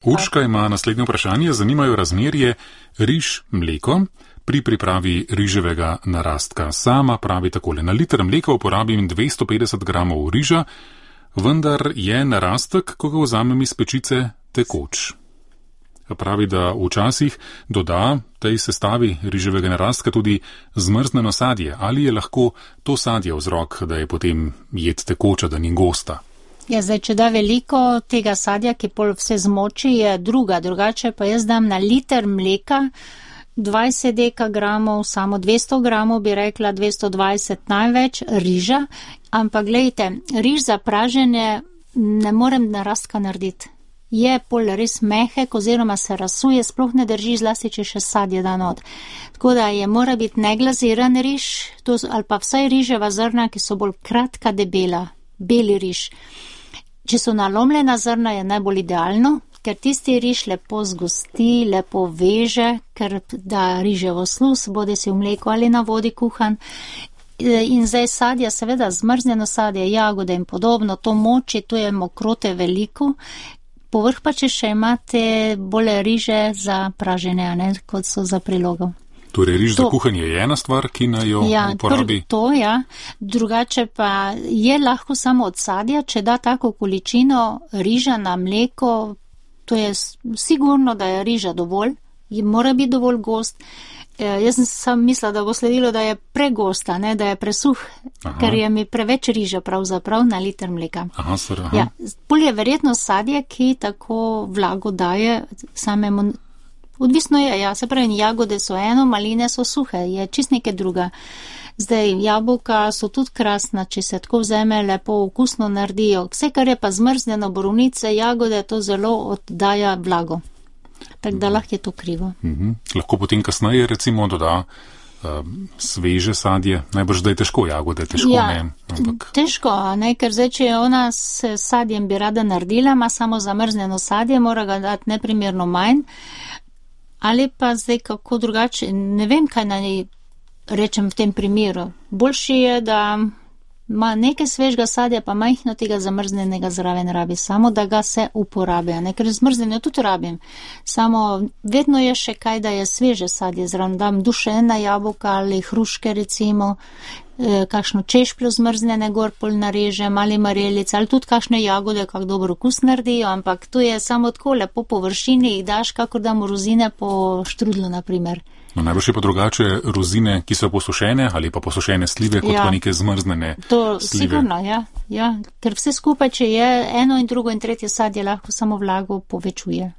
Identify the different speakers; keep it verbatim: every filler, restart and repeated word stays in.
Speaker 1: Urška ima naslednje vprašanje. Zanimajo razmerje riž-mleko pri pripravi riževega narastka. Sama pravi takole: na liter mleka uporabim dvesto petdeset gramov riža, vendar je narastek, ko ga vzamem iz pečice, tekoč. Pravi, da včasih doda tej sestavi riževega narastka tudi zmrznjeno sadje. Ali je lahko to sadje vzrok, da je potem jed tekoča, da ni gosta?
Speaker 2: Ja, zdaj, če da veliko tega sadja, ki pol vse zmoči, je druga. Drugače pa jaz dam na liter mleka dvajset dekagramov, samo dvesto gramov, bi rekla dvesto dvajset največ, riža. Ampak glejte, riž za praženje ne morem narastka narediti. Je pol res mehek oziroma se rasuje, sploh ne drži, zlasti če še sadje da not. Tako da je mora biti neglaziran riž, to, ali pa vsaj riževa zrna, ki so bolj kratka, debela, beli riž. Če so nalomljena zrna, je najbolj idealno, ker tisti riž lepo zgosti, lepo veže, ker da riževo sluz, bodi si v mleku ali na vodi kuhan. In zdaj sadja, seveda zmrznjeno sadje, jagode in podobno, to moči, to je mokrote veliko. Povrh pa, če še imate bolje riže za praženje, ne, kot so za prilogo.
Speaker 1: Torej, riž to, za kuhanje je ena stvar, ki naj jo
Speaker 2: ja,
Speaker 1: uporabi?
Speaker 2: To, ja. Drugače pa je lahko samo od sadja, če da tako količino riža na mleko, to je sigurno, da je riža dovolj, mora biti dovolj gost. Jaz sem sam mislila, da bo sledilo, da je pregosta, ne, da je presuh, aha, ker je mi preveč riža pravzaprav na liter mleka.
Speaker 1: Aha, sr, aha.
Speaker 2: Ja, bolj je verjetno sadje, ki tako vlago daje samemu, odvisno je, ja, se pravi, jagode so eno, maline so suhe, je čist nekaj druga. Zdaj, jabolka so tudi krasna, če se tako vzeme, lepo okusno naredijo. Vse, kar je pa zmrznjeno, borovnice, jagode, to zelo oddaja vlago. Tako da lahko je to krivo.
Speaker 1: Mhm. Lahko potem kasneje recimo doda uh, sveže sadje, najbrž da je težko jagode, težko
Speaker 2: ja,
Speaker 1: ne. Ampak...
Speaker 2: težko, ne, ker zdaj, če ona s sadjem bi rada naredila, ima samo zamrznjeno sadje, mora ga dati neprimerno manj, ali pa zdaj kako drugače, ne vem, kaj naj rečem v tem primeru. Boljši je, da ima nekaj svežega sadja, pa majhno tega zamrznjenega zraven rabi, samo da ga se uporabi, ne, ker zmrznjeno tudi rabim. Samo vedno je še kaj, da je sveže sadje zraven, dam dušena jabolka ali hruške recimo, eh, kakšno češpljo zmrznjene gor pol narežem ali marelice, ali tudi kakšne jagode, kak dobro okus naredijo, ampak to je samo tako lepo po površini, jih daš, kakor damo rozine po štrudlu, na primer.
Speaker 1: No, najbrž je pa drugače rozine, ki so posušene ali pa posušene slive, kot ja, pa neke zmrznjene
Speaker 2: to
Speaker 1: slive.
Speaker 2: Sigurno, ja, ja. Ker vse skupaj, če je eno in drugo in tretje sadje, lahko samo vlago povečuje.